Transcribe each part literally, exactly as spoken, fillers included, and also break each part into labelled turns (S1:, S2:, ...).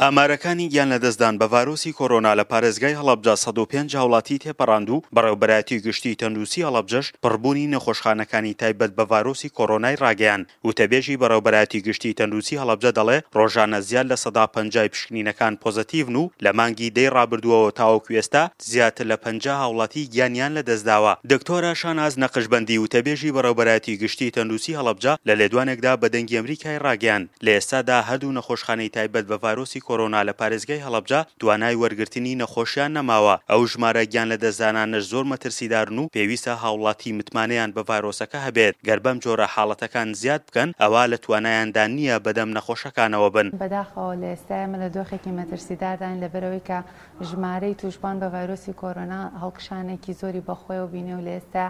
S1: ئامارەکانی گیانلەدەستدان بە ڤایرۆسی کۆرۆنا لە پارێزگای هەڵەبجە سەد و پێنج هاوڵاتی تێپەڕاند و بەڕێوەبەرایەتی گشتی تەندروستی هەڵەبجەش پڕبوونی نەخۆشخانەکانی تایبەت بە ڤایرۆسی کۆرۆنای ڕاگەیاند. وتەبێژی بەڕێوەبەرایەتی گشتی تەندروستی هەڵەبجە دەڵێ ڕۆژانە زیاد لە سەدا پەنجای پشکنینەکان پۆزەتیڤن و لە مانگی دەی ڕابردووەوە تاوەکو ئێستا زیاتر لە پەنجا هاوڵاتی گیانیان لەدەستداوە. دکتۆرە شاناز نەقشبەندی وتەبێژی بەڕێوەبەرایەتی گشتی تەندروستی هەڵەبجە لە لێدوانێکدا بە دەنگی ئەمریکای ڕاگەیاند لە ئێستادا هەردوو نەخۆشخانەی تایبەت بە ڤایرۆسی کۆرۆنا لە پارێزگای هەڵەبجە توانای وەرگرتنی نەخۆشیان نەماوە، ئەو ژمارە گیانلەدەستدانانەش زۆر مەترسیدارن و پێویستە هاوڵاتی متمانەیان بە ڤایرۆسەکە هەبێت، گەر بەم جۆرە حاڵەتەکان زیاد بکەن ئەوا لە توانایاندا نییە بەدەم نەخۆشەکانەوە بن.
S2: بەداخەوە لە ئێستا ئێمە لە دۆخێکی مەترسیدارداین لەبەرئەوەی کە ژمارەی تووشبووان بە ڤایرۆسی کۆرۆنا هەڵکشانێکی زۆری بەخۆیەوە بینی و لە ئێستا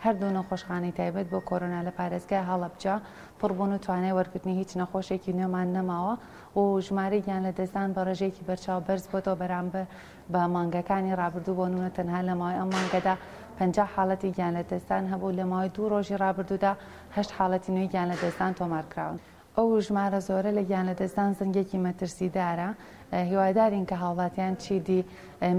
S2: هەردوو نەخۆشخانەی تایبەت بۆ کۆرۆنا لە پارێزگای هەڵەبجە پڕبوون و توانای وەرگرتنی هیچ نەخۆشێکی نوێمان نەماوە و ژمارەی گیانلەدەستدان بە ڕێژەیەکی بەرچاو بەرز بۆتەوە بەرامبەر بە مانگەکانی ڕابردوو. بۆ نمونە تەنها لە ماوەی ئەم مانگەدا پەنجا حاڵەتی گیانلەدەستدان هەبوو، لە ماوەی دوو ڕۆژی ڕابردوودا هەشت حاڵەتی نوێی گیانلەدەستدان تۆمار کراون. ئەو ژمارە زۆرە لە گیانلەدەستدان زەنگێکی مەترسیدارە. هیوادارین کە هاوڵاتیان چیدی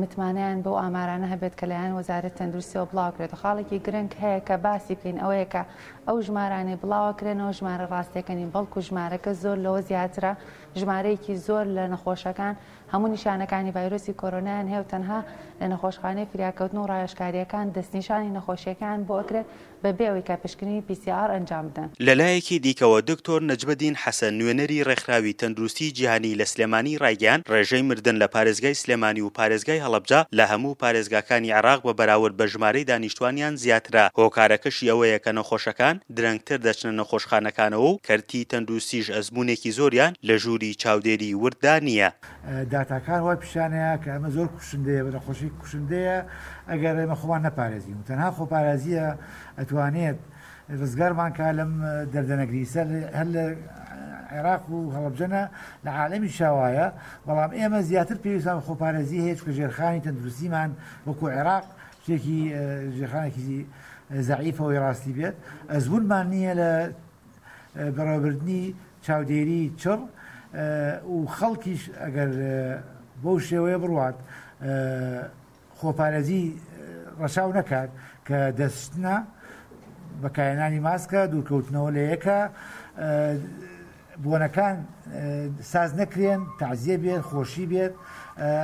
S2: متمانەیان بەو ئامارانە هەبێت کە لایەن وەزارەت تەندروستیەوە بڵاوکرێت. خاڵێکی گرنگ هەیە کە باسی بکەین ئەوەیە کە ئەو ژمارانەی بڵاوەکرێنەوە ژمارە ڕاستیەکە نین، بەڵکو ژمارەکە زۆر لەوە زیاترە. ژمارەیەکی زۆر لە نەخۆشەکان هەموو نیشانەکانی ڤایرۆسی کۆرۆنایان هەیە و تەنها لە نەخۆشخانەی فریاکەوتن و ڕاوێژکاریەکان دەستنیشانی نەخۆشیەکان بۆ ئەکرێت بەبێ ئەوەی کە پشکنینی پی سی ئاڕ ئەنجام بدەن.
S1: لەلایەکی دیکەوە دکتۆر نەجمەدین حەسەن نوێنەری ڕێکخراوی تەندروستی جیهانی لە سلێمانی ڕایگەیاند ڕێژەی مردن لە پارێزگای سلێمانی و پارێزگای هەڵەبجە لە هەموو پارێزگاکانی عێراق بە بەراورد بە ژمارەی دانیشتوانیان زیاترە، هۆکارەکەشی ئەوەیە کە نەخۆشەکان درەنگتر دەچنە نەخۆشخانەکانەوە و کەرتی تەندروستیش ئەزموونێکی زۆریان لە ژووری چاودێری ورددا نییە.
S3: داتاکان وای پیشانەیە کە ئەمە زۆر کوشندەیە، بە نەخۆشی کوشندەیە ئەگەر ئێمە خۆمان نەپارێزین و تەنها خۆپارێزیە ئەتوانێت ڕزگارمان کا لەم دەردە نەگریسە. هەر لە عێراق و هەڵەبجەنە لە عالەمی شاوایە، بەڵام ئێمە زیاتر پێویستمان بە خۆپارێزی هەیە، چونکە ژێرخانی تەندروستیمان وەکو عێراق شتێکی ژێرخانێکی زەعیفەوەی ڕاستی بێت، ئەزمونمان نییە لە بەڕێوەبردنی چاودێری چڕ و خەڵکیش ئەگەر بەو شێوەیە بڕوات خۆپارێزی ڕەچاو نەکات کە دەستشتنە، بەکارهێنانی ماسکە، دوورکەوتنەوە لە یەکە، بۆنەکان ساز نەکرێن، تەعزیە بێت، خۆشی بێت،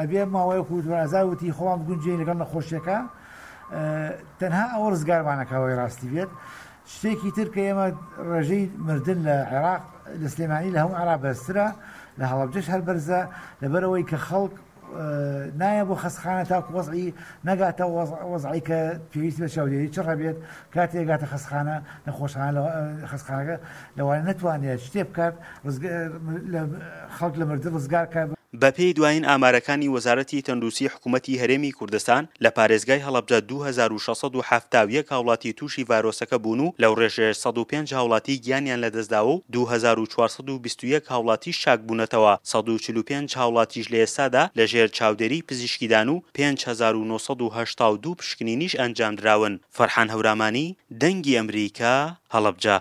S3: ئەبێ ماوەیەک و دوازار وتی خۆمان بگونجێین لەگەڵ نەخۆشیەکە، تەنها ئەوە ڕزگارمانەکەەوەی ڕاستی بێت. شتێکی تر کە ئێمە ڕێژەی مردن لە عێراق لە سلێمانی لە هەموو عێراق بەرزترە، لە هەڵەبجەش هەر بەرزە، لەبەرەوەی کە خەڵک نایە بۆ خەستخانە تاکو وەزعی نەگاتە وەزعی کە پێویست بە چاودێری چڕ هەبێت. کاتێک گاتە خەستخانە نەخۆشخانە خەستخانەکە لەوانە نەتوانێت شتێ بکات خەڵک لە مردن ڕزگار کات.
S1: بەپێی دوایین ئامارەکانی وەزارەتی تەندروستی حکوومەتی هەرێمی کوردستان لە پارێزگای هەڵەبجە دوو هەزار و شەش سەد و حەفتا و یەک هاوڵاتی تووشی ڤایرۆسەکە بوون و لەو ڕێژەیەش سەد و پێنج هاوڵاتی گیانیان لەدەستداوە و دوو هەزار و چوار سەد و بیست و یەک هاوڵاتیش چاکبوونەتەوە، سەد و چل و پێنج هاوڵاتیش لە ئێستادا لەژێر چاودێری پزیشکیدان و پێنج هەزار و نۆ سەد و هەشتا و دوو پشکنینیش ئەنجامدراون. فەرحان هەورامانی، دەنگی ئەمریکا، هەڵەبجە.